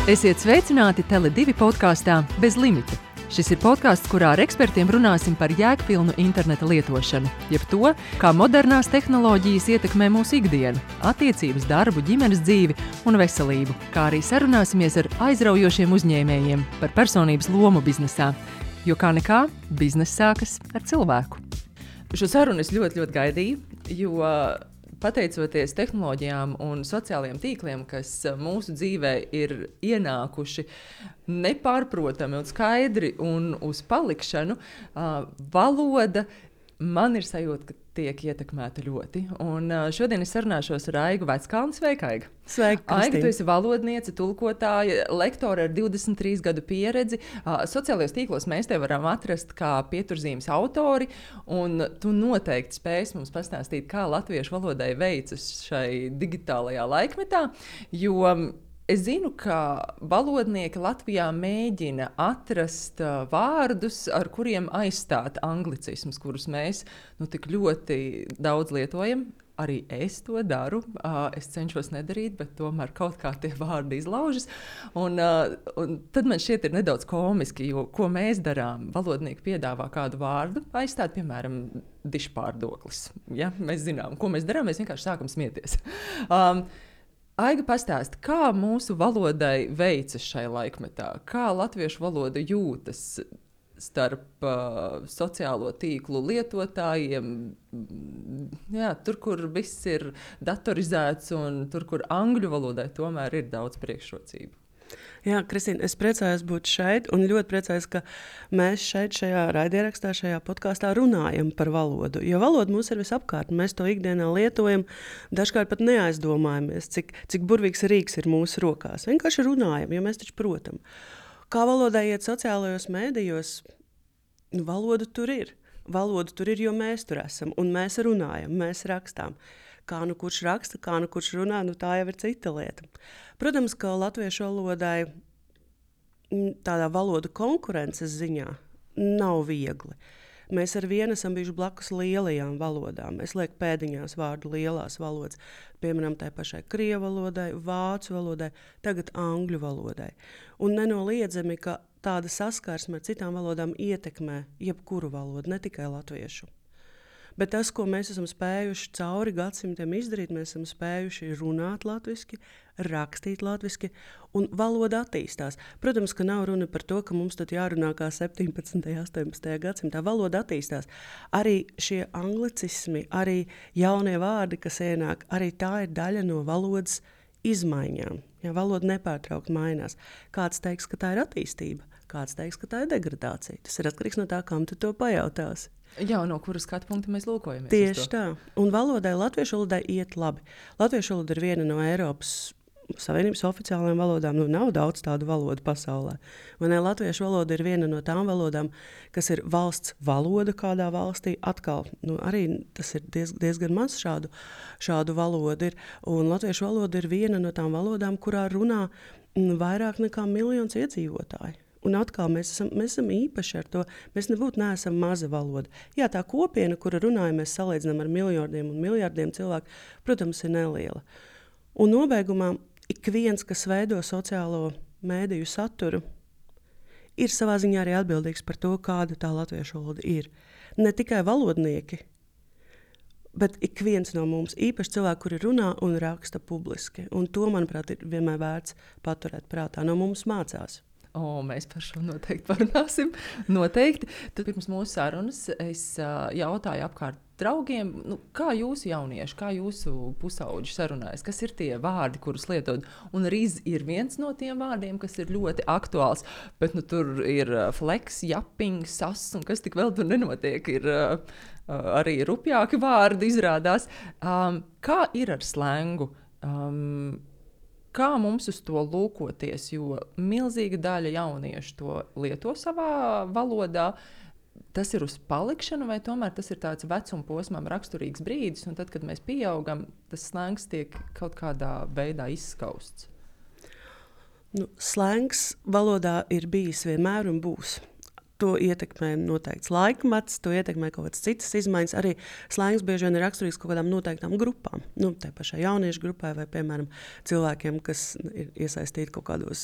Esiet sveicināti Tele2 podkāstā Bez limita. Šis ir podkāsts, kurā ar ekspertiem runāsim par jēgpilnu interneta lietošanu, jeb to, kā modernās tehnoloģijas ietekmē mūsu ikdienu, attiecības, darbu, ģimenes dzīvi un veselību, kā arī sarunāsimies ar aizraujošiem uzņēmējiem par personības lomu biznesā, jo kā nekā, bizness sākas ar cilvēku. Šo sarunu es ļoti gaidīju, jo pateicoties tehnoloģijām un sociālajiem tīkliem, kas mūsu dzīvē ir ienākuši nepārprotami un skaidri un uz palikšanu, valoda man ir sajūta, ka tiek ietekmēta ļoti. Un šodien es sarunāšos ar Aigu Veckalni. Sveika, Aiga! Sveika, Kristīne! Aiga, tu esi valodniece, tulkotāja, lektore ar 23 gadu pieredzi. Sociālajos tīklos mēs tevi varam atrast kā pieturzīmes autori, un tu noteikti spēsi mums pastāstīt, kā latviešu valodai veicas šai digitālajā laikmetā, jo es zinu, ka valodnieki Latvijā mēģina atrast vārdus, ar kuriem aizstāt anglicismus, kurus mēs tik ļoti daudz lietojam. Arī es to daru. Es cenšos nedarīt, bet tomēr kaut kā tie vārdi izlaužas. Un tad man šķiet ir nedaudz komiski, jo ko mēs darām? Valodnieki piedāvā kādu vārdu aizstāt, piemēram, dišpārdoklis. Ja? Mēs zinām, ko mēs darām, mēs vienkārši sākam smieties. Aiga, pastāsti, kā mūsu valodai veicas šai laikmetā? Kā latviešu valoda jūtas starp sociālo tīklu lietotājiem? Jā, tur, kur viss ir datorizēts un tur, kur angļu valodai tomēr ir daudz priekšrocību. Jā, Kristīne, es priecājos būt šeit un ļoti priecājos, ka mēs šeit šajā raidierakstā, šajā podkāstā runājam par valodu. Jo valoda mums ir visapkārt, mēs to ikdienā lietojam, dažkārt pat neaizdomājamies, cik burvīgs rīks ir mūsu rokās. Vienkārši runājam, jo mēs taču protam. Kā valodai iet sociālajos mēdījos, valoda tur ir. Valoda tur ir, jo mēs tur esam un mēs runājam, mēs rakstām. Kā nu kurš raksta, kā nu kurš runā, tā jau ir cita lieta. Protams, ka latviešu valodai tādā valodu konkurences ziņā nav viegli. Mēs ar vienu esam bijuši blakus lielajām valodām. Es lieku pēdiņās vārdu lielās valodas, piemēram, tai pašai krievu valodai, vācu valodai, tagad angļu valodai. Un nenoliedzami, ka tāda saskarsme ar citām valodām ietekmē jebkuru valodu, ne tikai latviešu. Bet tas, ko mēs esam spējuši cauri gadsimtiem izdarīt, mēs esam spējuši runāt latviski, rakstīt latviski, un valoda attīstās. Protams, ka nav runa par to, ka mums tad jārunā kā 17. un 18. gadsimtā. Valoda attīstās. Arī šie anglicismi, arī jaunie vārdi, kas ienāk, arī tā ir daļa no valodas izmaiņām. Ja, valoda nepārtraukt mainās. Kāds teiks, ka tā ir attīstība, kāds teiks, ka tā ir degradācija. Tas ir atkarīgs no tā, kam tu to pajautāsi. Jā, no kuras skatu punkta mēs lūkojamies. Tieši tā. Un valodai, latviešu valodai iet labi. Latviešu valoda ir viena no Eiropas Savienības oficiālajām valodām. Nav daudz tādu valodu pasaulē. Latviešu valoda ir viena no tām valodām, kas ir valsts valoda kādā valstī. Atkal, arī tas ir diezgan maz šādu valodu ir. Un latviešu valoda ir viena no tām valodām, kurā runā vairāk nekā 1 miljons iedzīvotāji. Un atkal mēs esam īpaši ar to. Mēs neesam maza valoda. Jā, tā kopiena, kura runājam, mēs salīdzinām ar miljardiem un miljardiem cilvēku, protams, ir neliela. Un nobeigumā ik viens, kas veido sociālo mēdīju saturu, ir savā ziņā arī atbildīgs par to, kāda tā latviešu valoda ir. Ne tikai valodnieki, bet ik viens no mums, īpaši cilvēki, kuri runā un raksta publiski. Un to, manuprāt, ir vienmēr vērts paturēt prātā. No mums mācās. Mēs par šo noteikti parunāsim. Noteikti. Tad pirms mūsu sarunas es jautāju apkārt draugiem, kā jūsu jaunieši, kā jūsu pusauģi sarunājas, kas ir tie vārdi, kurus lietot. Un riz ir viens no tiem vārdiem, kas ir ļoti aktuāls, bet tur ir fleks, japing, sas un kas tik vēl tur nenotiek. Ir arī rupjāki vārdi izrādās. Kā ir ar slengu? Kā mums uz to lūkoties, jo milzīga daļa jauniešu to lieto savā valodā, tas ir uz palikšanu vai tomēr tas ir tāds vecuma posmam raksturīgs brīdis, un tad, kad mēs pieaugam, tas slengs tiek kaut kādā veidā izskausts? Slengs valodā ir bijis vienmēr un būs. To ietekmē noteikts laikmets, to ietekmē kaut kādas citas izmaiņas. Arī slengs bieži vien ir raksturīgs kaut kādām noteiktām grupām. Tai pašai jauniešu grupai vai, piemēram, cilvēkiem, kas ir iesaistīti kaut kādos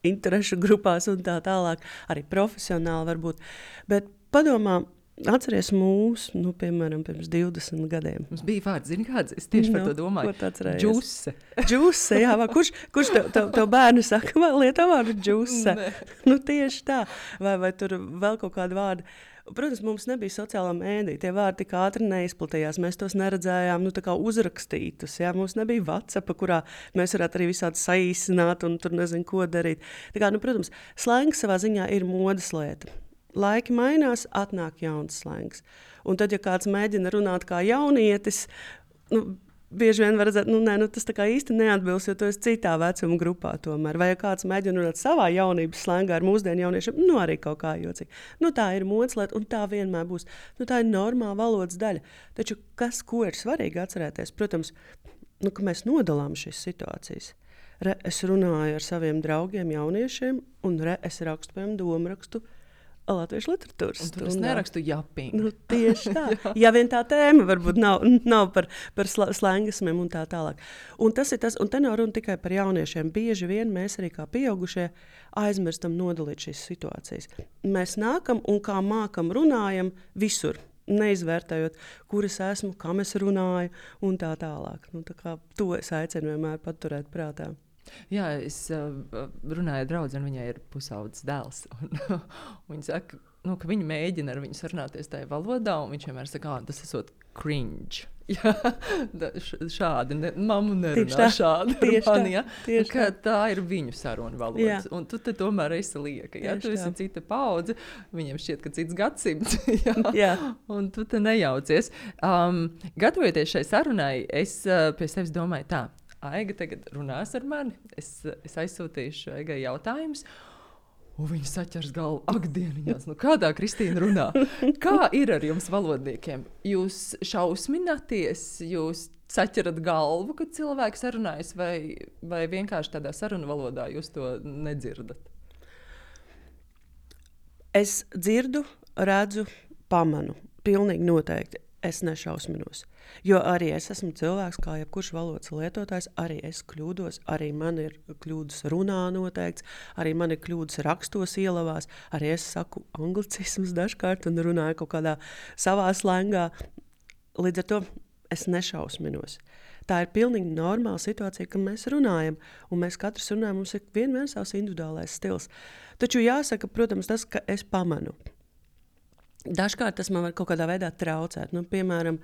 interešu grupās un tā tālāk, arī profesionāli varbūt. Bet padomā, atceries mūs, piemēram, pirms 20 gadiem. Mums bija vārds, zini kāds? Es tieši par to domāju. Ko tu atceries? Džuse. Džuse, jā, kurš tev bērnu saka, vai lieto vārdu džuse? Tieši tā. Vai tur vēl kaut kādu vārdu. Protams, mums nebija sociālā mēdīja, tie vārdi tik ātri neizplatījās, mēs tos neredzējām, tā kā uzrakstītus, jā, mums nebija WhatsApp, kurā mēs varētu arī visādi saīsināt un tur nezinu, ko darīt. Tā kā, protams, slengs savā ziņā ir modes lieta. Laiki mainās, atnāk jauns slengs. Un tad, ja kāds mēģina runāt kā jaunietis, bieži vien var redzēt, tas tā kā īsti neatbilst, jo tu esi citā vecuma grupā tomēr. Vai ja kāds mēģina runāt savā jaunības slēngā ar mūsdienu jauniešiem, arī kaut kā jocīgi. Tā ir modes lieta, un tā vienmēr būs. Tā ir normāla valodas daļa. Taču ko ir svarīgi atcerēties? Protams, ka mēs nodalām šīs situācijas. Es runāju ar saviem draugiem jauniešiem, un es rakstu, piemēram, domrakstu latviešu literatūras stundā. Tur es nerakstu japingu. Tieši tā. Ja vien tā tēma varbūt nav par slengismiem un tā tālāk. Un tas ir tas, un te nav runa tikai par jauniešiem. Bieži vien mēs arī kā pieaugušie aizmirstam nodalīt šīs situācijas. Mēs nākam un kā mākam runājam visur, neizvērtējot, kur es esmu, kam es runāju un tā tālāk. Tā kā to es aicinu vienmēr paturēt prātā. Jā, es runāju ar draudzi, un viņai ir pusaudzes dēls. Viņa saka, ka viņa mēģina ar viņu sarunāties tajā valodā, un viņš vienmēr saka, tas esot cringe. Jā, šādi, mammu nerunā šādi. Tā ir viņu saruna valoda. Un tu te tomēr esi lieka. Ja? Tu esi cita paudze, viņiem šķiet, ka cits gadsimts. Jā. Un tu te nejaucies. Gatavojoties šai sarunai, es pie sevis domāju tā. Aiga tagad runās ar mani, es aizsūtīšu Aigai jautājumus, un viņa saķers galvu, ak, dieniņās, kādā Kristīna runā? Kā ir ar jums valodniekiem? Jūs šausminaties, jūs saķerat galvu, kad cilvēks sarunājas, vai vienkārši tādā sarunu valodā jūs to nedzirdat? Es dzirdu, redzu, pamanu, pilnīgi noteikti. Es nešausminos, jo arī es esmu cilvēks, kā jebkurš valodas lietotājs, arī es kļūdos, arī man ir kļūdas runā noteikts, arī man ir kļūdas rakstos ielavās, arī es saku anglicismus dažkārt un runāju kaut kādā savā slēngā. Līdz ar to es nešausminos. Tā ir pilnīgi normāla situācija, ka mēs runājam, un mēs katrs runājam, mums ir vienmēr savs individuālais stils. Taču jāsaka, protams, tas, ka es pamanu. Dažkārt tas man var kaut kādā veidā traucēt. Piemēram,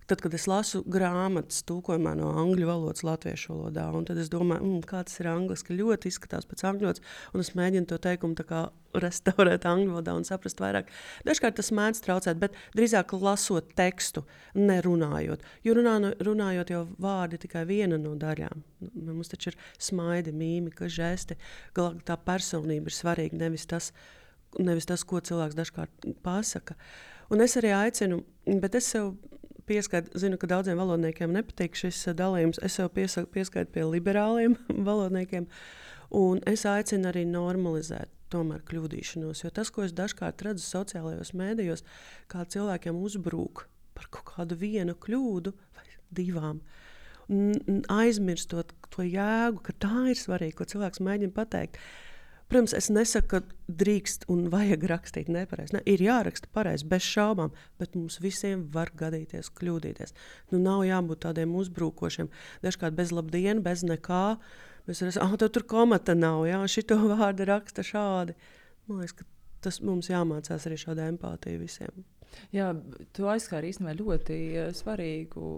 tad, kad es lasu grāmatas tulkojumā no angļu valodas latviešu valodā, un tad es domāju, kā tas ir angliski, ļoti izskatās pēc angļu valodas, un es mēģinu to teikumu tā kā restaurēt angļu valodā un saprast vairāk. Dažkārt tas mēdz traucēt, bet drīzāk lasot tekstu, nerunājot. Jo runājot jau vārdi tikai viena no daļām. Mums taču ir smaidi, mīmika, žesti, tā personība ir svarīga, nevis tas, ko cilvēks dažkārt pasaka. Un es arī aicinu, bet es sev pieskaitu, zinu, ka daudziem valodniekiem nepatīk šis dalījums, es sev pieskaitu pie liberāliem valodniekiem, un es aicinu arī normalizēt tomēr kļūdīšanos, jo tas, ko es dažkārt redzu sociālajos mēdījos, kā cilvēkiem uzbrūk par kaut kādu vienu kļūdu vai divām, aizmirstot to jēgu, ka tā ir svarīgi, ko cilvēks mēģina pateikt. Protams, es nesaku, ka drīkst un vajag rakstīt nepareizi. Ir jāraksta pareizi, bez šaubām, bet mums visiem var gadīties kļūdīties. Nav jābūt tādiem uzbrūkošiem. Dažkārt bez labdiena, bez nekā. Mēs varam, tev tur komata nav, šito vārdu raksta šādi. Man liekas, ka tas mums jāmācās arī šāda empātija visiem. Jā, tu aizskāri īstenībā ļoti svarīgu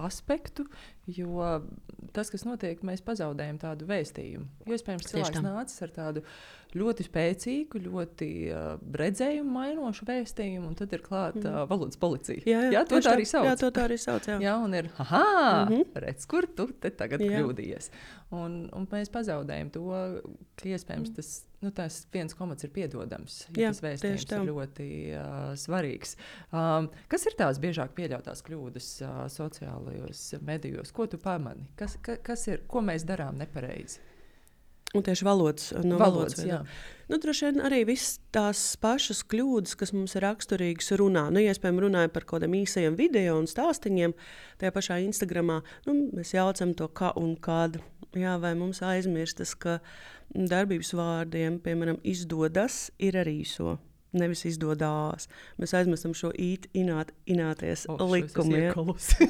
aspektu, jo tas, kas notiek, mēs pazaudējam tādu vēstījumu. Jo, iespējams, cilvēks nācis ar tādu ļoti spēcīgu, ļoti redzējumu mainošu vēstījumu, un tad ir klāta valodas policija. Jā, to tā arī sauc. Jā, to tā arī sauc, jā. Jā, un ir, redz, kur tu te tagad kļūdījies. Un mēs pazaudējam to, ka iespējams tas viens komats ir piedodams, ja tas vēstījums ir ļoti svarīgs. Kas ir tās biežāk pieļautās kļūdas sociālajos medijos? Ko tu pamani? Kas ir, ko mēs darām nepareizi? Un tieši valodas. Droši vien arī viss tās pašas kļūdas, kas mums ir raksturīgas runā. Iespējams, runājot par kaut kādiem īsajiem video un stāstiņiem, tajā pašā Instagramā, mēs jaucam to kā un kādu. Jā, vai mums aizmirstas, ka darbības vārdiem, piemēram, izdodas ir arī īso. Nevis izdodās. Mēs aizmirstam šo ināties likumu. Ja?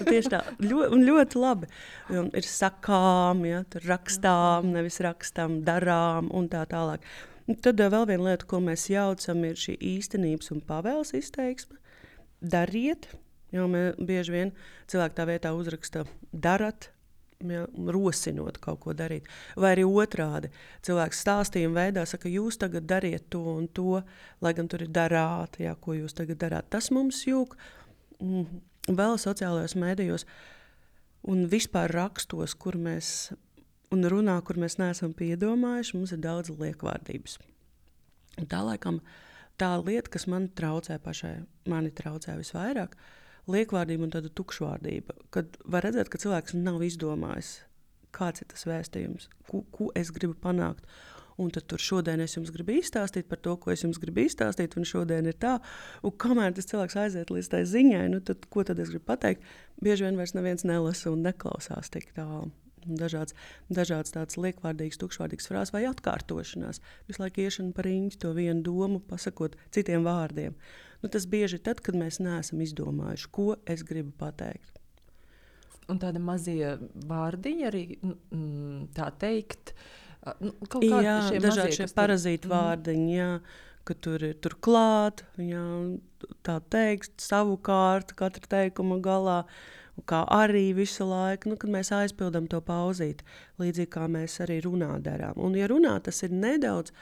Tieši tā, ļoti labi. Ir sakām, ja? Tur rakstām, nevis rakstām, darām un tā tālāk. Un tad vēl viena lieta, ko mēs jaucam, ir šī īstenības un pavēles izteiksme. Dariet, jo bieži vien cilvēki tā vietā uzraksta darat, ja, rosinot kaut ko darīt. Vai arī otrādi. Cilvēks stāstījuma veidā saka, jūs tagad dariet to un to, lai gan tur ir darāt, ja, ko jūs tagad darāt. Tas mums jūg vēl sociālajos mēdījos un vispār rakstos, kur mēs un runā, kur mēs neesam piedomājuši, mums ir daudz liekvārdības. Un tā laikam tā lieta, kas mani traucē visvairāk, liekvārdība un tāda tukšvārdība, kad var redzēt, ka cilvēks nav izdomājis, kāds ir tas vēstījums, ko es gribu panākt. Un tad tur šodien es jums gribu izstāstīt par to, ko es jums gribu izstāstīt, un šodien ir tā. Un kamēr tas cilvēks aiziet līdz tai ziņai, tad ko tad es gribu pateikt? Bieži vien vairs neviens nelasa un neklausās tik tālu. Dažādas tādas liekvārdīgas, tukšvārdīgas frāzes vai atkārtošanās. Visu laiku iešana par riņķi to vienu domu, pasakot citiem vārdiem. Tas bieži ir tad, kad mēs neesam izdomājuši, ko es gribu pateikt. Un tāda mazie vārdiņi arī, tā teikt, kaut kādi jā, šie dažādi šie parazīti vārdiņi, jā, ka tur ir turklāt, jā, tā teikt, savukārt, katra teikuma galā, kā arī visu laiku, kad mēs aizpildam to pauzīti, līdzīgi kā mēs arī runā darām. Un ja runā, tas ir nedaudz,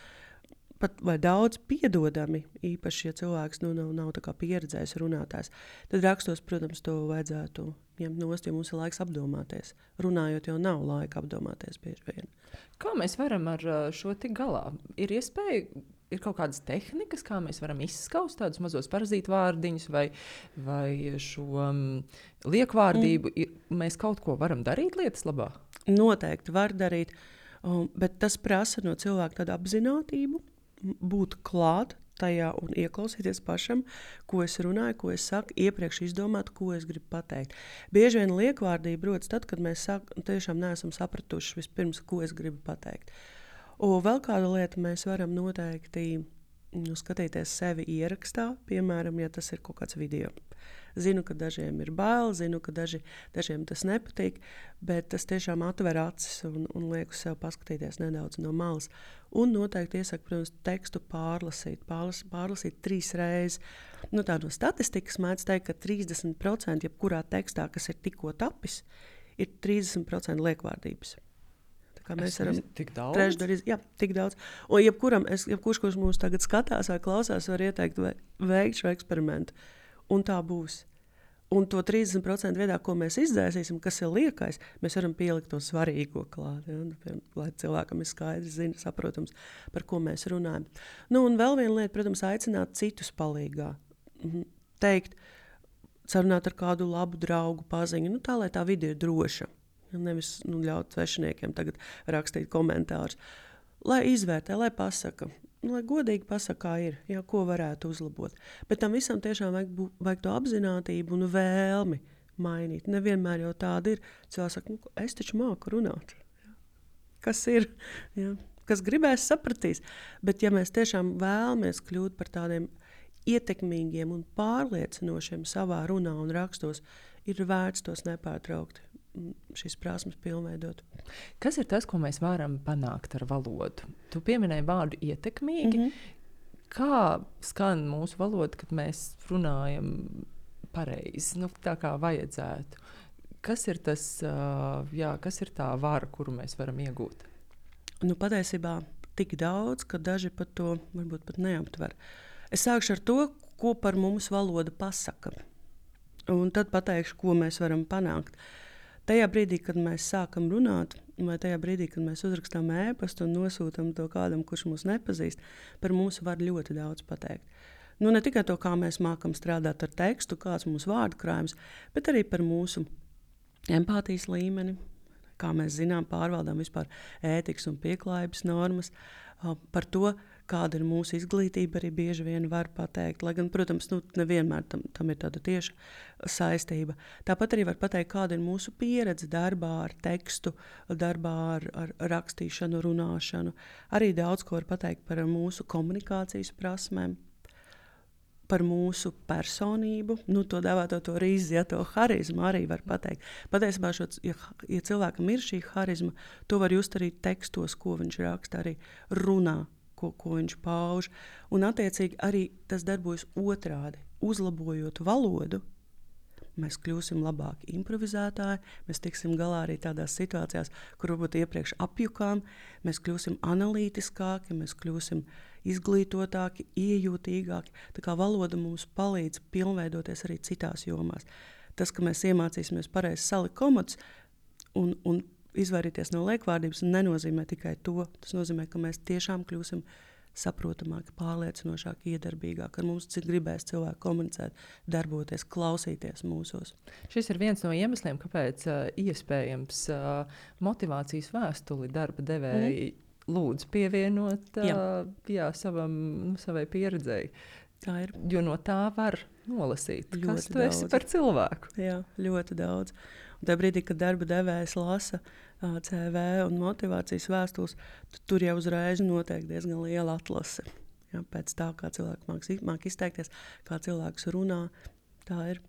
pat vai daudz piedodami, īpaši, ja cilvēks nav tā kā pieredzējis runātājs, tad rakstos, protams, to vajadzētu ņemt nost, jo mums ir laiks apdomāties. Runājot jau nav laika apdomāties bieži vien. Kā mēs varam ar šo tik galā? Ir iespēja, ir kaut kādas tehnikas, kā mēs varam izskaust tādus mazos parazītu vārdiņus vai šo liekvārdību? Mēs kaut ko varam darīt lietas labā? Noteikti var darīt, bet tas prasa no cilvēka tādu apzinātību, būt klāt tajā un ieklausīties pašam, ko es runāju, ko es saku, iepriekš izdomāt, ko es gribu pateikt. Bieži vien liekvārdība rodas tad, kad mēs tiešām neesam sapratuši vispirms, ko es gribu pateikt. Un vēl kāda lieta, mēs varam noteikti skatīties sevi ierakstā, piemēram, ja tas ir kaut kāds video. Zinu, ka dažiem ir bail, zinu, ka dažiem tas nepatīk, bet tas tiešām atver acis un liek uz sev paskatīties nedaudz no malas. Un noteikti iesaku, protams, tekstu pārlasīt 3 reizes. Tā no statistikas mēdz teikt, ka 30% jebkurā tekstā, kas ir tikko tapis, ir 30% liekvārdības. Mēs varam tik daudz? Trešdaļas, jā, tik daudz. Un jebkurš, kurš mūs tagad skatās vai klausās, var ieteikt veikt šo eksperimentu. Un tā būs. Un to 30% veidā, ko mēs izdzēsīsim, kas ir liekais, mēs varam pielikt to svarīgo klāt, ja? Lai cilvēkam ir skaidrs, saprotams, par ko mēs runājam. Un vēl viena lieta, protams, aicināt citus palīgā. Teikt, sarunāt ar kādu labu draugu paziņu, tā, lai tā vide ir droša. Nevis ļaut svešiniekiem tagad rakstīt komentārus. Lai izvērtē, lai pasaka, lai godīgi pasaka, kā ir, jā, ko varētu uzlabot. Bet tam visam tiešām vajag to apzinātību un vēlmi mainīt. Nevienmēr jau tāda ir. Cilvēks saka, es taču māku runāt. Kas ir? Jā. Kas gribēs, sapratīs. Bet ja mēs tiešām vēlamies kļūt par tādiem ietekmīgiem un pārliecinošiem savā runā un rakstos, ir vērts tos nepārtraukti. Šīs prasmes pilnveidot. Kas ir tas, ko mēs varam panākt ar valodu? Tu pieminēji vārdu ietekmīgi. Kā skan mūsu valoda, kad mēs runājam pareizi, tā kā vajadzētu? Kas ir tas, kas ir tā vara, kuru mēs varam iegūt? Patiesībā tik daudz, ka daži pat to varbūt pat neaptver. Es sākšu ar to, ko par mums valoda pasaka. Un tad pateikšu, ko mēs varam panākt. Tajā brīdī, kad mēs sākam runāt, vai tajā brīdī, kad mēs uzrakstām ēpastu un nosūtam to kādam, kurš mūs nepazīst, par mums var ļoti daudz pateikt. Ne tikai to, kā mēs mākam strādāt ar tekstu, kāds mums vārdu krājums, bet arī par mūsu empātijas līmeni, kā mēs zinām, pārvaldām vispār ētikas un pieklājības normas, par to, kāda ir mūsu izglītība, arī bieži vien var pateikt. Lai gan, protams, nevienmēr tam ir tāda tieša saistība. Tāpat arī var pateikt, kāda ir mūsu pieredze darbā ar tekstu, darbā ar rakstīšanu, runāšanu. Arī daudz ko var pateikt par mūsu komunikācijas prasmēm, par mūsu personību, to dēvēto to rīzi, to harizmu arī var pateikt. Patiesībā, ja cilvēkam ir šī harizma, to var just arī tekstos, ko viņš raksta, arī runā, ko viņš pauž. Un attiecīgi arī tas darbojas otrādi. Uzlabojot valodu, mēs kļūsim labāki improvizētāji, mēs tiksim galā arī tādās situācijās, kur varbūt iepriekš apjukām, mēs kļūsim analītiskāki, mēs kļūsim izglītotāki, iejūtīgāki. Tā kā valoda mums palīdz pilnveidoties arī citās jomās. Tas, ka mēs iemācīsimies pareizi salikt komatus un izvairīties no liekvārdības, nenozīmē tikai to. Tas nozīmē, ka mēs tiešām kļūsim saprotamāki, pārliecinošāki, iedarbīgāki. Ar mums gribēs cilvēki komunicēt, darboties, klausīties mūsos. Šis ir viens no iemesliem, kāpēc iespējams motivācijas vēstuli darba devēji lūdzu pievienot savai pieredzēji. Tā ir. Jo no tā var nolasīt, ļoti kas tu esi par cilvēku. Jā, ļoti daudz. Un tajā brīdī, kad darba devējs lasa CV un motivācijas vēstules, tur jau uzreiz notiek diezgan liela atlase. Jā, pēc tā, kā cilvēki māk izteikties, kā cilvēks runā, tā ir.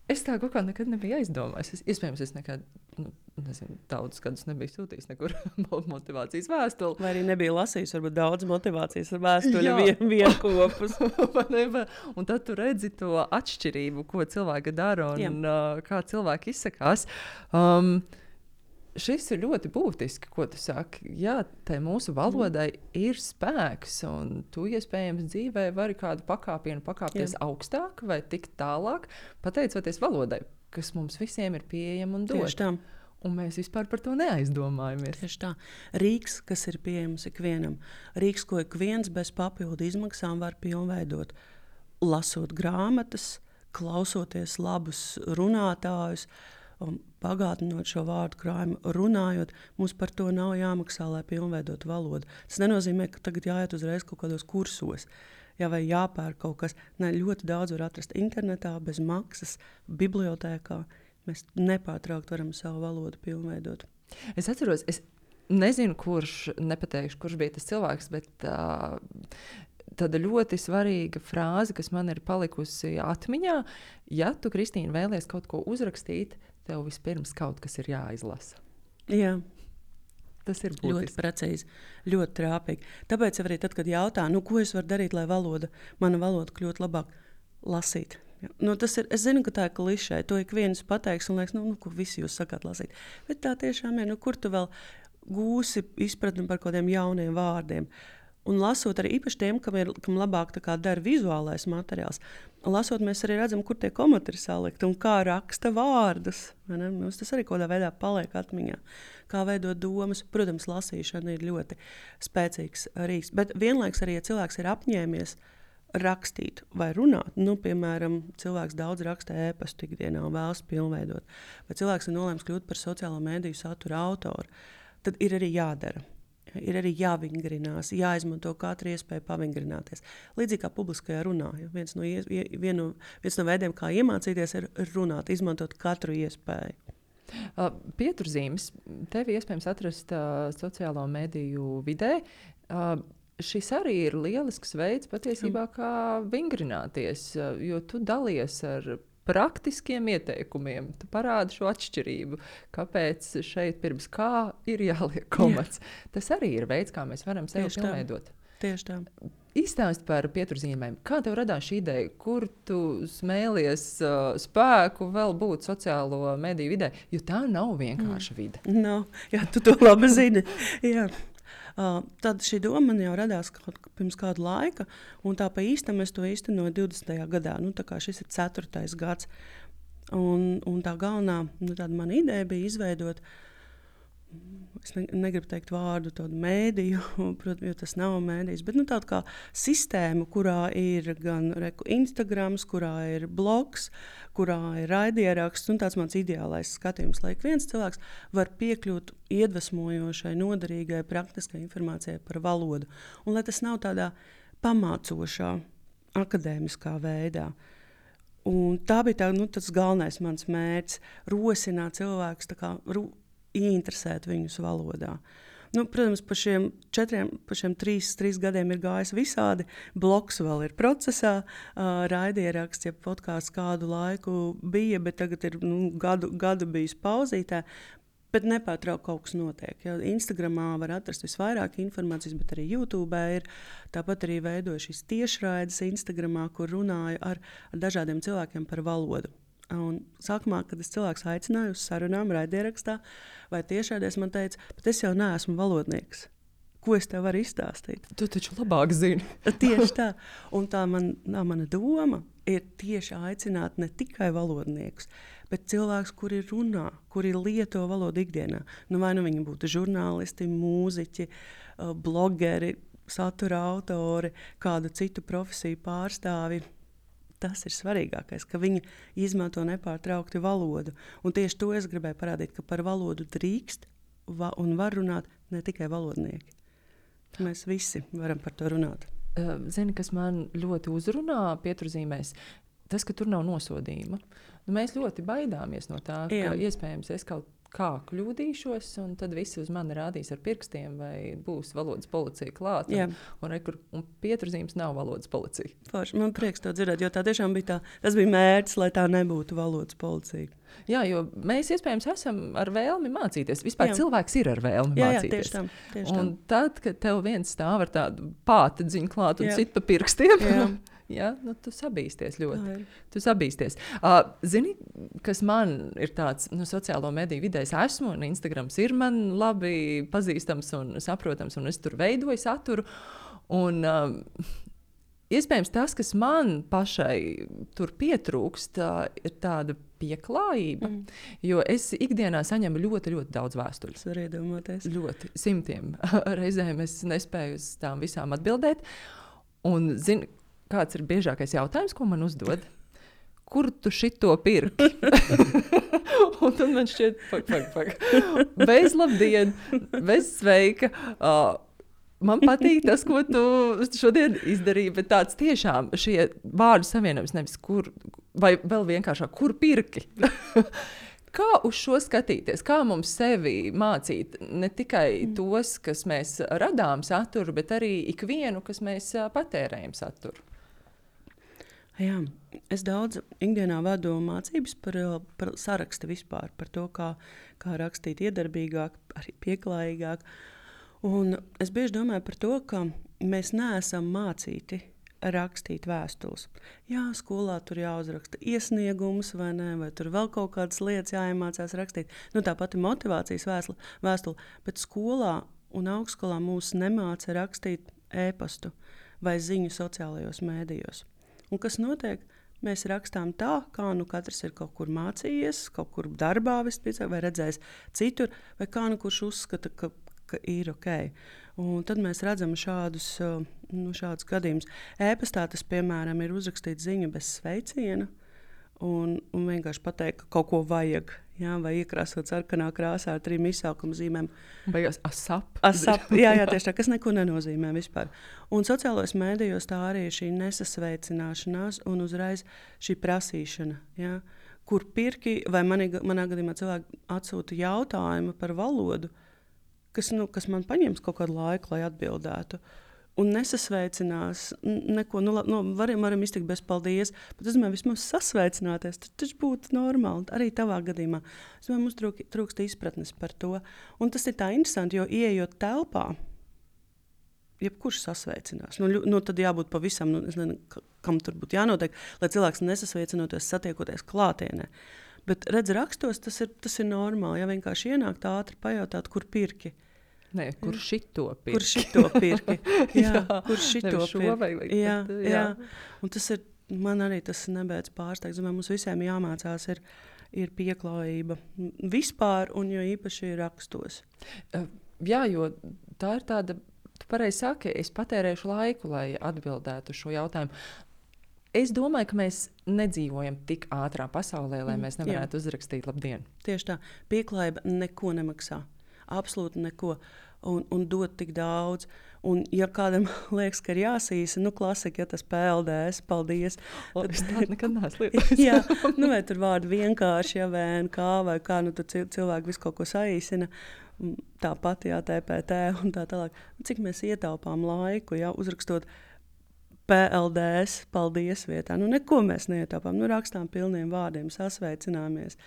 Es tā kaut kā nekad nebiju aizdomājis. Iespējams, es nekad, daudzus gadus nebiju sūtījis nekur motivācijas vēstuli. Vai arī nebija lasījis, varbūt daudz motivācijas vēstuli vienkopus. Un tad tu redzi to atšķirību, ko cilvēki dara un kā cilvēki izsakās. Šis ir ļoti būtiski, ko tu saki. Jā, tai mūsu valodai ir spēks, un tu iespējams dzīvē vari kādu pakāpienu pakāpties augstāk vai tikt tālāk, pateicoties valodai, kas mums visiem ir pieejama un dot. Tieši tā. Un mēs vispār par to neaizdomājamies. Tieši tā. Rīks, kas ir pieejams ikvienam. Rīks, ko ik viens bez papildu izmaksām var pilnveidot. Lasot grāmatas, klausoties labus runātājus, un pagātinot šo vārdu krājumu, runājot, mums par to nav jāmaksā, lai pilnveidot valodu. Tas nenozīmē, ka tagad jāiet uzreiz kaut kādos kursos, vai jāpērk kaut kas. Ne, ļoti daudz var atrast internetā, bez maksas, bibliotēkā. Mēs nepārtraukti varam savu valodu pilnveidot. Es atceros, es nezinu, nepateikšu, kurš bija tas cilvēks, bet tāda ļoti svarīga frāze, kas man ir palikusi atmiņā. Ja tu, Kristīna, vēlies kaut ko uzrakstīt, tev vispirms kaut kas ir jāizlasa. Jā. Tas ir būtiski. Ļoti precīzi, ļoti trāpīgi. Tāpēc arī tad, kad jautā, ko es varu darīt, lai mana valoda kļūtu labāk, lasīt. Tas ir, es zinu, ka tā ir klišē, to ik viens pateiks un liekas, ko visi jūs sakāt lasīt. Bet tā tiešām ir, kur tu vēl gūsi izpratni par kādiem jauniem vārdiem. Un lasot arī īpaši tiem, kam labāk dara vizuālais materiāls, lasot mēs arī redzam, kur tie komati ir salikti un kā raksta vārdus. Mums tas arī kaut kādā veidā paliek atmiņā. Kā veidot domas. Protams, lasīšana ir ļoti spēcīgs rīks. Bet vienlaiks arī, ja cilvēks ir apņēmies rakstīt vai runāt, piemēram, cilvēks daudz raksta ēpastu ikdienā un vēlas pilnveidot, vai cilvēks ir nolēms kļūt par sociālo mediju satura autoru, tad ir arī jādara. Ir arī jāvingrinās, jāizmanto katru iespēju pavingrināties. Līdzīgi kā publiskajā runā. Viens no veidiem, kā iemācīties, ir runāt, izmantot katru iespēju. Pieturzīmes tevi iespējams atrast sociālo mediju vidē. Šis arī ir lielisks veids patiesībā, kā vingrināties, jo tu dalies ar praktiskiem ieteikumiem. Tu parādi šo atšķirību, kāpēc šeit pirms kā ir jāliek komats. Tas arī ir veids, kā mēs varam sevi pilnveidot. Tieši tā. Izstāst par pieturzīmēm. Kā tev radās šī ideja? Kur tu smēlies spēku vēl būt sociālo mediju vidē? Jo tā nav vienkārša vide. Nav. Jā, tu to labi zini. Jā. Tad šī doma man jau radās pirms kāda laika, un tā pa īstam es to īstenoju 20. gadā. Tā kā šis ir 4. gads. Un tā galvenā mana ideja bija izveidot es negribu teikt vārdu tādu mēdīju, protams, jo tas nav mēdījis, bet tāda kā sistēma, kurā ir gan Instagrams, kurā ir blogs, kurā ir raidieraksts, un tāds mans ideālais skatījums, lai ik viens cilvēks var piekļūt iedvesmojošai, noderīgai, praktiskai informācijai par valodu. Un lai tas nav tādā pamācošā, akadēmiskā veidā. Un tā bija tas galvenais mans mērķis – rosināt cilvēkus, ieinteresēt viņus valodā. Protams, pa šiem 3 gadiem ir gājis visādi. Blogs vēl ir procesā, raidieraksts, ja podkāsts kādu laiku bija, bet tagad ir gadu bijis pauzītē. Bet nepārtraukti kaut kas notiek. Ja Instagramā var atrast visvairāk informācijas, bet arī YouTube ir. Tāpat arī veidoju šīs tiešraides Instagramā, kur runāju ar dažādiem cilvēkiem par valodu. Un sākumā, kad es cilvēks aicināju uz sarunām raidierakstā vai tiešraidēs, man teica, bet es jau neesmu valodnieks. Ko es tev varu izstāstīt? Tu taču labāk zini. Tieši tā. Un tā mana doma ir tieši aicināt ne tikai valodniekus, bet cilvēkus, kuri runā, kuri lieto valodu ikdienā. Vai viņi būtu žurnālisti, mūziķi, blogeri, satura autori, kādu citu profesiju pārstāvi. Tas ir svarīgākais, ka viņi izmanto nepārtraukti valodu. Un tieši to es gribēju parādīt, ka par valodu drīkst un var runāt ne tikai valodnieki. Mēs visi varam par to runāt. Zini, kas man ļoti uzrunā pieturzīmēs, tas, ka tur nav nosodījuma. Mēs ļoti baidāmies no tā, ka iespējams es kaut kā kļūdīšos, un tad visi uz mani rādīs ar pirkstiem, vai būs valodas policija klāt. Un pieturzīmes nav valodas policija. Forši, man prieks to dzirdēt, jo tā tiešām bija tas bija mērķis, lai tā nebūtu valodas policija. Jā, jo mēs iespējams esam ar vēlmi mācīties. Vispār cilvēks ir ar vēlmi mācīties. Tieši tam. Un tad, kad tev viens stāv ar tādu pātedziņu klāt un sit pa pirkstiem, tu sabīsties ļoti. Tu sabīsties. Zini, kas man ir tāds sociālo mediju vidē, es esmu, un Instagrams ir man labi pazīstams un saprotams, un es tur veidoju saturu. Un iespējams tas, kas man pašai tur pietrūkst, ir tāda pieklājība. Jo es ikdienā saņemu ļoti, ļoti daudz vēstuļu. Var iedomāties. Ļoti, 100 reizēm es nespēju uz tām visām atbildēt. Un zini, kāds ir biežākais jautājums, ko man uzdod? Kur tu šito pirki? Un tad man šķiet, bez labdien, bez sveika. Man patīk tas, ko tu šodien izdarīji, bet tāds tiešām šie vārdu savienojums nevis kur, vai vēl vienkāršāk, kur pirki? Kā uz šo skatīties? Kā mums sevi mācīt ne tikai tos, kas mēs radām saturu, bet arī ikvienu, kas mēs patērējam saturu? Jā, es daudz ikdienā vadu mācības par sarakstu vispār, par to, kā rakstīt iedarbīgāk, arī pieklājīgāk. Un es bieži domāju par to, ka mēs neesam mācīti rakstīt vēstules. Jā, skolā tur jāuzraksta iesniegums vai ne, vai tur vēl kaut kādas lietas jāiemācās rakstīt. Tā pati motivācijas vēstule, bet skolā un augstskolā mūs nemāca rakstīt e-pastu vai ziņu sociālajos mēdījos. Un kas notiek? Mēs rakstām tā, kā katrs ir kaut kur mācījies, kaut kur darbā vispār, vai redzējis citur, vai kā kurš uzskata, ka ir ok. Un tad mēs redzam šādus gadījumus. E-pastā tas, piemēram, ir uzrakstīt ziņu bez sveiciena un vienkārši pateikt, ka kaut ko vajag. Vai iekrāsot sarkanā krāsā ar 3 izsaukuma zīmēm. Beigās asap. Jā, tieši tā, kas neko nenozīmē vispār. Un sociālajos mēdījos tā arī ir šī nesasveicināšanās un uzreiz šī prasīšana. Ja? Kur pirki, vai manā gadījumā cilvēki atsūta jautājumu par valodu, kas man paņems kaut kādu laiku, lai atbildētu. Un nesasveicinās neko, varam iztikt bez paldies, bet es domāju, vismaz sasveicināties, tas taču būtu normāli, arī tavā gadījumā. Es domāju, mums trūkst izpratnes par to. Un tas ir tā interesanti, jo ieejot telpā, jebkurš sasveicinās. Tad jābūt pavisam, es nezinu, kam tur būtu jānotiek, lai cilvēks nesasveicinoties, satiekoties klātienē. Bet redz, rakstos tas ir normāli, ja vienkārši ienākt ātri pajautāt, kur pirki. Nē, kur šito pirki? Kur šito pirki? Jā, kur šito pirki? Jā. Un tas ir, man arī tas nebeidz pārsteigt. Mums visiem jāmācās ir ir pieklājība vispār, un jo īpaši rakstos. Jā, jo tā ir tāda, tu pareizi saki, es patērēšu laiku, lai atbildētu uz šo jautājumu. Es domāju, ka mēs nedzīvojam tik ātrā pasaulē, lai mēs nevarētu uzrakstīt labdien. Tieši tā, pieklājība neko nemaksā, absolūti neko. Un dot tik daudz. Un, ja kādam liekas, ka ir jāsīsa, klasika, ja tas PLDS, paldies. Tad es tādu nekad neesmu lietojis. Jā, vai tur vārdu vienkārši, ja VNK vai kā, tur cilvēki visu kaut ko saīsina. Tāpat, jā, TPT un tā tālāk. Cik mēs ietaupām laiku, ja, uzrakstot PLDS, paldies vietā. Neko mēs neietaupām. Rakstām pilniem vārdiem, sasveicināmies,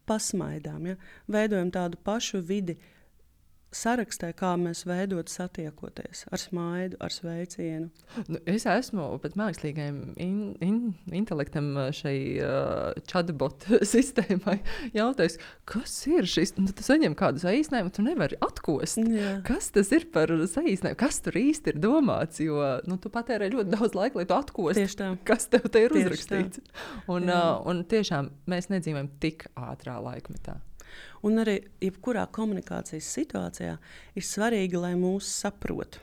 pasmaidām, ja. Veidojam tādu pašu vidi, sarakstē, kā mēs veidot satiekoties ar smaidu, ar sveicienu. Es esmu pat mākslīgajam intelektam šai chatbot sistēmai jautājis, kas ir šis? Tu saņem kādu saīsinājumu, tu nevari atkost. Jā. Kas tas ir par saīsinājumu? Kas tur īsti ir domāts? Jo tu patērē ļoti daudz laika, lai tu atkost, kas tev te ir uzrakstīts. Un tiešām mēs nedzīvojam tik ātrā laikmetā. Un arī jebkurā komunikācijas situācijā ir svarīgi, lai mūs saprot.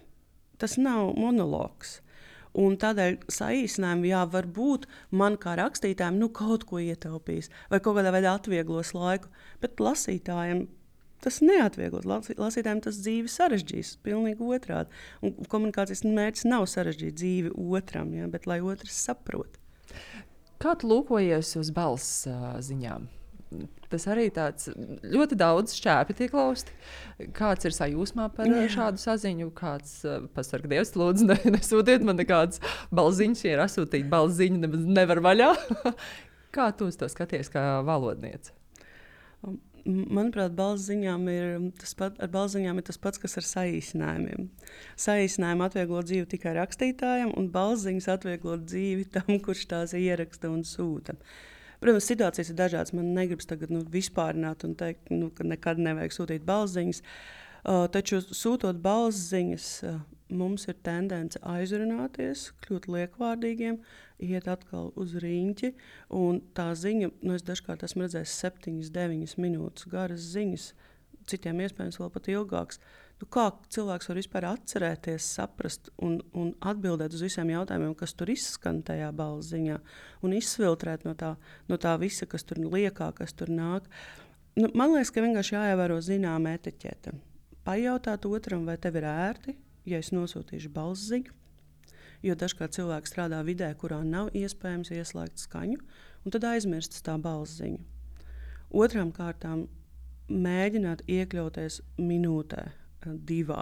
Tas nav monologs. Un tādēļ saīsinājumi, varbūt man kā rakstītājiem kaut ko ietaupīs vai kaut kādā veidā atvieglos laiku, bet lasītājiem tas neatvieglos. Lasītājiem tas dzīvi sarežģīs, pilnīgi otrādi. Un komunikācijas mērķis nav sarežģīt dzīvi otram, bet lai otrs saprot. Kā tu lūkojies uz balss ziņām? Tas arī tāds ļoti daudz šķēpi tiek lausti. Kāds ir sajūsmā par šādu saziņu? Kāds pasarga Dievs, lūdzu, nesūtiet man nekādas balziņas, ja ir asūtīt balziņu, nemaz nevar vaļā. Kā tu uz to skaties kā valodniece? Manuprāt, balsziņām ir tas pats, kas ar saīsinājumiem. Saīsinājumi atvieglo dzīvi tikai rakstītājam, un balsziņas atvieglo dzīvi tam, kurš tās ieraksta un sūta. Protams, situācijas ir dažādas. Man negribas tagad vispārināt un teikt, ka nekad nevajag sūtīt balsziņas. Taču sūtot balsziņas, mums ir tendence aizrunāties, kļūt liekvārdīgiem, iet atkal uz riņķi. Un tā ziņa, es dažkārt esmu redzējis 7-9 minūtes garas ziņas, citiem iespējams vēl pat ilgāks. Kā cilvēks var vispār atcerēties, saprast un atbildēt uz visiem jautājumiem, kas tur izskan tajā balsziņā, un izfiltrēt no tā visa, kas tur liekā, kas tur nāk. Man liekas, ka vienkārši jāievēro zināma etiķete. Pajautāt otram, vai tev ir ērti, ja es nosūtīšu balsziņu, jo dažkārt cilvēks strādā vidē, kurā nav iespējams ieslēgt skaņu, un tad aizmirst tā balsziņa. Otrām kārtām mēģināt iekļauties minūtē, 2.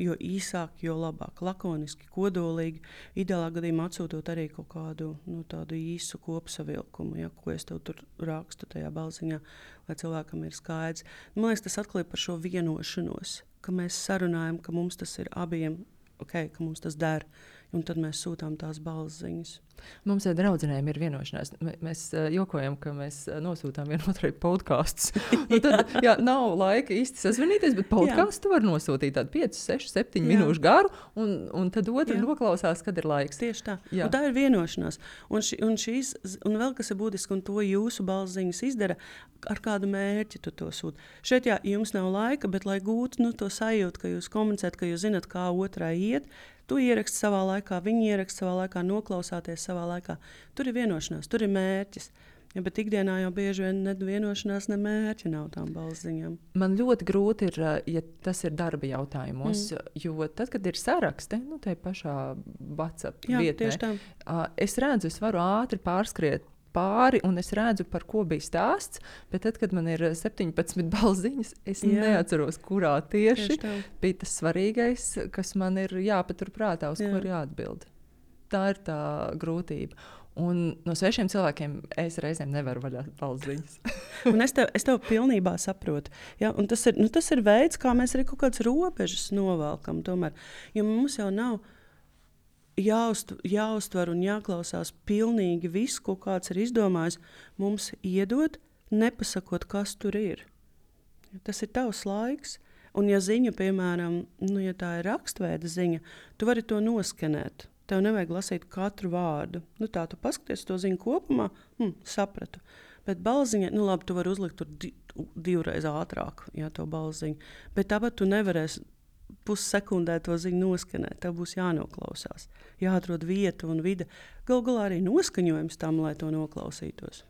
Jo īsāk, jo labāk. Lakoniski, kodolīgi. Ideālā gadījumā atsūtot arī kaut kādu tādu īsu kopsavilkumu, ko es tev tur rakstu tajā balsiņā, lai cilvēkam ir skaidrs. Man liekas, tas atklāja par šo vienošanos, ka mēs sarunājam, ka mums tas ir abiem, ka mums tas der, un tad mēs sūtām tās balsziņas. Mums ar draudzenēm ir vienošanās. Mēs jokojam, ka mēs nosūtām vienotrai podkastus. Tad nav laika īsti sazvanīties, bet podkastu var nosūtīt tādu 5, 6, 7 minūšu garu, un tad otru noklausās, kad ir laiks. Tieši tā. Un tā ir vienošanās. Un vēl kas ir būtiski, un to jūsu balsziņas izdara, ar kādu mērķi tu to sūti. Šeit jums nav laika, bet lai gūtu to sajūtu, ka jūs komunicēt, ka jūs zinat, kā otrai iet, tu ieraksti savā laikā, viņi ieraksta savā laikā, noklausāties savā laikā. Tur ir vienošanās, tur ir mērķis. Bet ikdienā jau bieži vien ne vienošanās, ne mērķi nav tām balsziņām. Man ļoti grūti ir, ja tas ir darba jautājumos, jo tad, kad ir saraksti, tai pašā WhatsApp vietnē, es redzu, es varu ātri pārskriet pāri, un es redzu, par ko bija stāsts, bet tad, kad man ir 17 balsziņas, es neatceros, kurā tieši bija tas svarīgais, kas man ir jāpaturprātā, uz ko ir jāatbild. Tā ir tā grūtība. Un no svešiem cilvēkiem es reizēm nevaru vaļā balsziņas. Un es tev pilnībā saprotu. Ja? Un tas ir veids, kā mēs arī kaut kādas robežas novelkam tomēr. Jo mums jau nav jāuztver un jāklausās pilnīgi viss, ko kāds ir izdomājis. Mums iedot, nepasakot, kas tur ir. Tas ir tavs laiks. Un ja ziņa, piemēram, ja tā ir rakstveida ziņa, tu vari to noskenēt. Tev nevajag lasīt katru vārdu. Tā tu paskaties to ziņu kopumā, sapratu. Bet balziņa, nu labi, tu vari uzlikt tur divreiz ātrāk, to balziņu. Bet tāpat tu nevarēsi pussekundē to ziņu noskanēt. Tev būs jānoklausās. Jāatrod vieta un vide. Galu galā arī noskaņojums tam, lai to noklausītos.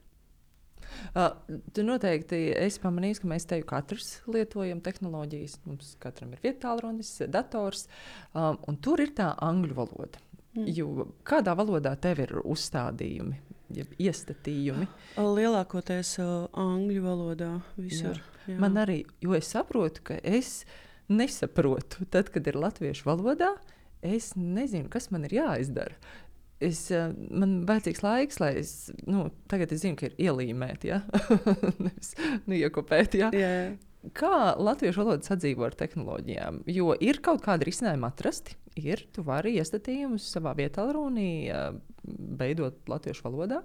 Tu noteikti esi pamanījis, ka mēs tevi katrs lietojam tehnoloģijas. Mums katram ir vietālrunis, dators, un tur ir tā angļu valoda. Jo kādā valodā tev ir uzstādījumi, iestatījumi? Lielākoties angļu valodā visur. Jā. Man arī, jo es saprotu, ka es nesaprotu. Tad, kad ir latviešu valodā, es nezinu, kas man ir jāizdara. Man vajadzīgs laiks, lai es, tagad es zinu, ka ir ielīmēt, ja? Nevis iekopēt, ja? Yeah. Kā latviešu valoda sadzīvo ar tehnoloģijām? Jo ir kaut kāda risinājuma atrasti. Tu vari iestatījumus savā vietālrunī veidot latviešu valodā.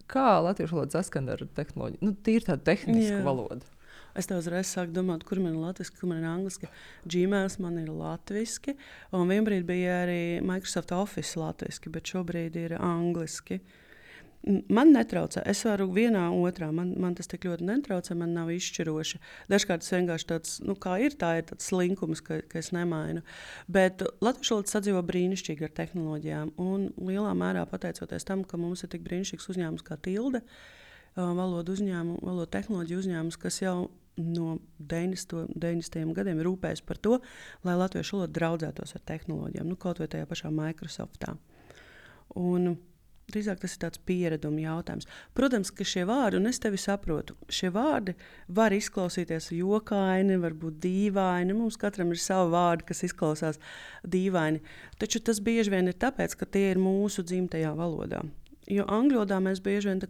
Kā latviešu valoda saskan ar tehnoloģiju? Tīri tāda tehniska valoda. Es tev uzreiz sāku domāt, kur man ir latviski, kur man ir angliski. Gmails man ir latviski, un vienbrīd bija arī Microsoft Office latviski, bet šobrīd ir angliski. Man netraucē. Es varu vienā, otrā. Man tas tik ļoti netraucē, man nav izšķiroši. Dažkārt tas vienkārši tāds, kā ir, tā ir tāds slinkums, ka es nemainu. Bet latviešu valoda sadzīvo brīnišķīgi ar tehnoloģijām, un lielā mērā pateicoties tam, ka mums ir tik brīnišķīgs uzņēmums kā Tilde, valodu tehnoloģiju uzņēmums, kas jau no 90. gadiem rūpējas par to, lai latviešu valoda draudzētos ar tehnoloģijām, kaut vai tajā pašā Microsoftā. Un drīzāk tas ir tāds piereduma jautājums. Protams, ka šie vārdi, un es tevi saprotu, šie vārdi var izklausīties jokaini, varbūt dīvaini. Mums katram ir savi vārdi, kas izklausās dīvaini. Taču tas bieži vien ir tāpēc, ka tie ir mūsu dzimtajā valodā. Jo angļu valodā mēs bieži vien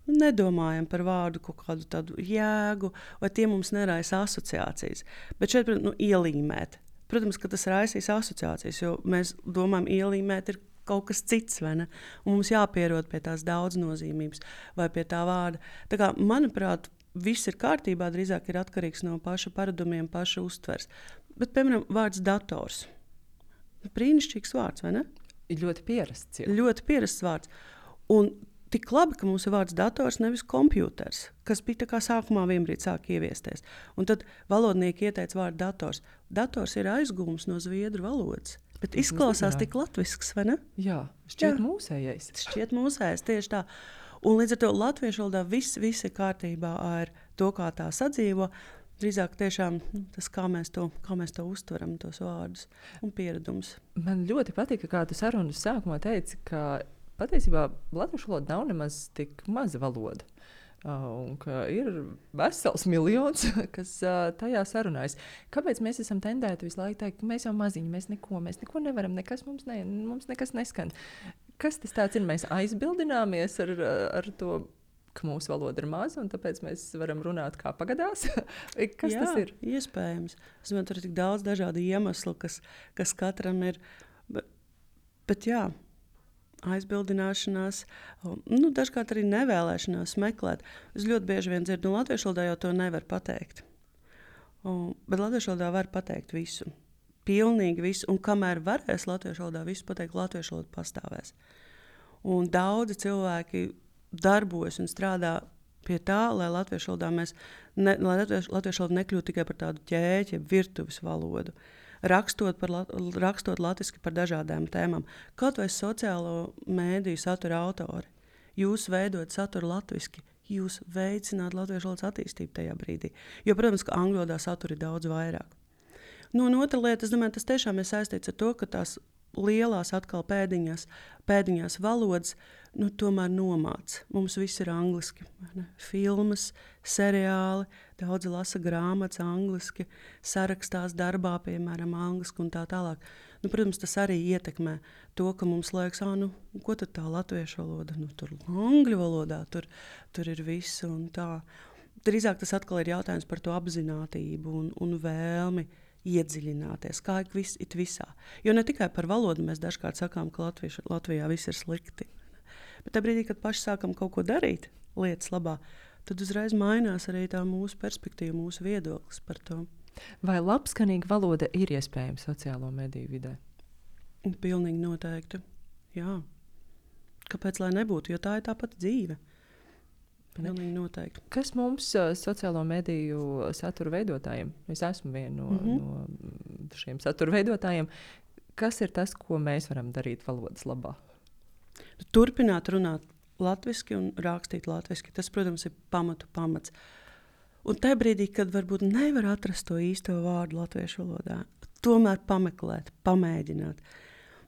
nedomājam par vārdu kaut kādu tādu jēgu, vai tie mums neraisa asociācijas. Bet šeit, ielīmēt. Protams, ka tas raisīs asociācijas, jo mēs domājam, ielīmēt ir kaut kas cits, vai ne? Un mums jāpierod pie tās daudznozīmības vai pie tā vārda. Tā kā, manuprāt, viss ir kārtībā, drīzāk ir atkarīgs no paša paradumiem, paša uztvers. Bet, piemēram, vārds dators. Brīnišķīgs vārds, vai ne? Ir ļoti pierasts. Jā. Ļoti pierasts vārds. Un tik labi, ka mums ir vārds dators, nevis kompjuters, kas bija tā kā sākumā vienbrīd sāk ieviesties. Un tad valodnieki ieteica vārdu dators. Dators ir aizgūms no zviedru valodas. Bet izklausās tik latvisks, vai ne? Jā, šķiet mūsējais. Šķiet mūsējais, tieši tā. Un līdz ar to latviešu valodā viss ir kārtībā ar to, kā tā sadzīvo. Drīzāk tiešām tas, kā mēs to uztveram, tos vārdus un pieredums. Man ļoti patīk, kā tu sarunas sākumā teici, ka patiesībā latviešu valoda nav nemaz tik maza valoda. Un ka ir vesels miljons, kas tajā sarunājas. Kāpēc mēs esam tendēti visu laiku teikt, ka mēs jau maziņi, mēs neko nevaram, mums nekas neskan? Kas tas tāds ir? Mēs aizbildināmies ar to, ka mūsu valoda ir maza, un tāpēc mēs varam runāt kā pagadās? Kas tas ir? Iespējams. Es domāju, tur ir tik daudz dažādu iemeslu, kas katram ir. Bet jā. Aizbildināšanās, dažkārt arī nevēlēšanās meklēt. Es ļoti bieži vien dzirdu, latviešu valodā jau to nevar pateikt. Bet latviešu valodā var pateikt visu. Pilnīgi visu. Un kamēr varēs latviešu valodā visu pateikt, latviešu valoda pastāvēs. Un daudzi cilvēki darbojas un strādā pie tā, lai latviešu valodā latviešu valoda nekļūtu tikai par tādu ķēķi, virtuves valodu. Rakstot latviski par dažādām tēmām. Kaut vai sociālo mēdīju satura autori. Jūs veidojat saturu latviski, jūs veicināt latviešu valodas attīstību tajā brīdī. Jo, protams, ka angļu valodā satura ir daudz vairāk. Un otra lieta, es domāju, tas tiešām ir saistīts ar to, ka tās lielās atkal pēdiņās valodas tomēr nomāc. Mums viss ir angliski. Filmas, seriāli, daudzi lasa grāmatas angliski, sarakstās darbā, piemēram, angliski un tā tālāk. Protams, tas arī ietekmē to, ka mums liekas, ko tad tā latviešu valoda? Tur angļu valodā, tur ir viss un tā. Drīzāk tas atkal ir jautājums par to apzinātību un vēlmi iedziļināties, kā ir visā. Jo ne tikai par valodu mēs dažkārt sakām, ka Latvijā viss ir slikti. Bet tā brīdī, kad paši sākam kaut ko darīt lietas labā, tad uzreiz mainās arī tā mūsu perspektīva, mūsu viedoklis par to. Vai labskanīga valoda ir iespējama sociālo mediju vidē? Pilnīgi noteikti, jā. Kāpēc lai nebūtu, jo tā ir tā pati dzīve. Pilnīgi noteikti. Kas mums, sociālo mediju satura veidotājiem, es esmu viena no šiem satura veidotājiem, kas ir tas, ko mēs varam darīt valodas labā? Turpināt runāt latviski un rakstīt latviski. Tas, protams, ir pamats. Un tajā brīdī, kad varbūt nevar atrast to īsto vārdu latviešu valodā, tomēr pameklēt, pamēģināt.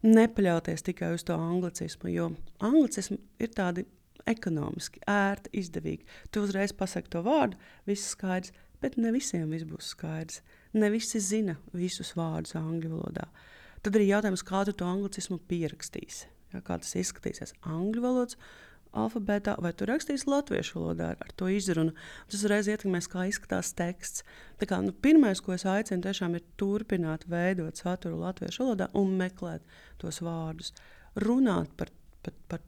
Nepaļauties tikai uz to anglicismu, jo anglicismi ir tādi ekonomiski, ērti, izdevīgi. Tu uzreiz pasaki to vārdu, viss skaidrs, bet ne visiem viss būs skaidrs. Ne visi zina visus vārdus angļu valodā. Tad arī jautājums, kā tu to anglicismu pierakstīsi. Ja, kā tas izskatīsies angļu valodas alfabētā, vai tu rakstīsi latviešu valodā ar to izrunu. Tas uzreiz ietekmēs, kā izskatās teksts. Tā kā, pirmais, ko es aicinu, tiešām ir turpināt veidot saturu latviešu valodā un meklēt tos vārdus. Runāt par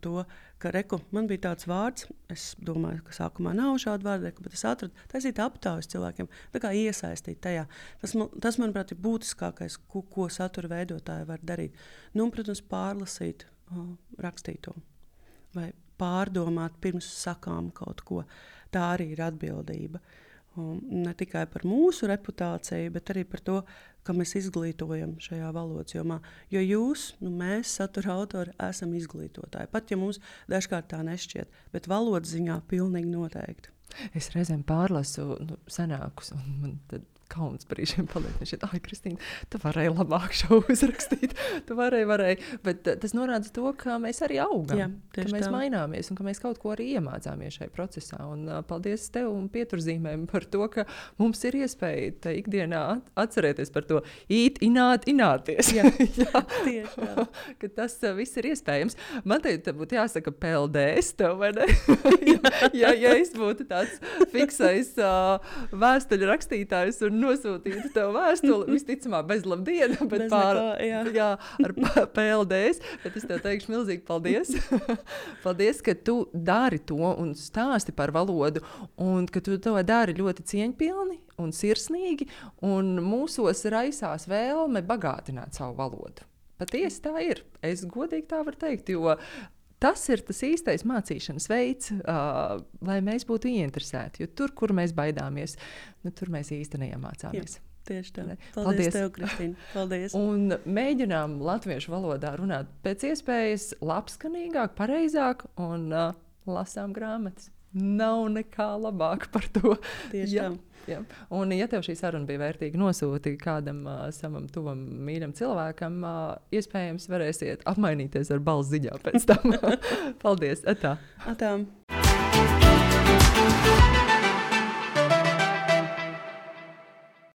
to, ka man bija tāds vārds, es domāju, ka sākumā nav šāda vārda, bet es atradu, taisīt aptaujas cilvēkiem, tā kā iesaistīt tajā. Tas manuprāt, ir būtiskākais, ko satura veidotāji var darīt. Protams, pārlasīt rakstīto vai pārdomāt pirms sakām kaut ko. Tā arī ir atbildība. Ne tikai par mūsu reputāciju, bet arī par to, ka mēs izglītojam šajā valodas jomā. Jo mēs, satura autori, esam izglītotāji. Pat ja mums dažkārt tā nešķiet, bet valodas ziņā pilnīgi noteikti. Es reizēm pārlasu senākus, un man tad kauns par šiem paliek. Ai, Kristīna, tu varēji labāk šo uzrakstīt. Tu varēji. Bet tas norāda to, ka mēs arī augam. Jā, ka mēs maināmies un ka mēs kaut ko arī iemācāmies šajā procesā. Un paldies tev un pieturzīmēm par to, ka mums ir iespēja ikdienā atcerēties par to ināties. Jā, tieši tā. Ka tas viss ir iespējams. Man te būtu jāsaka PLDS tev, vai ne? ja es būtu tāds fiksais vēstuļu rakstītājs un nosūtītu tev vēstuli, visticamāk bez labdiena, bet ar PLDS, bet es tev teikšu milzīgi paldies. Paldies, ka tu dari to un stāsti par valodu, un ka tu to dari ļoti cieņpilni un sirsnīgi, un mūsos raisās vēlme bagātināt savu valodu. Patiesi tā ir. Es godīgi tā varu teikt, jo tas ir tas īstais mācīšanas veids, lai mēs būtu ieinteresēti. Jo tur, kur mēs baidāmies, tur mēs īsti neiemācāmies. Jā, tieši tā. Paldies tev, Kristīna. Paldies. Un mēģinām latviešu valodā runāt pēc iespējas labskanīgāk, pareizāk un lasām grāmatas. Nav nekā labāk par to. Tieši tā. Jā. Un, ja tev šī saruna bija vērtīga, nosūti kādam savam tuvam mīļam cilvēkam, iespējams varēsiet apmainīties ar balss ziņā pēc tam. Paldies! Atā! Atā!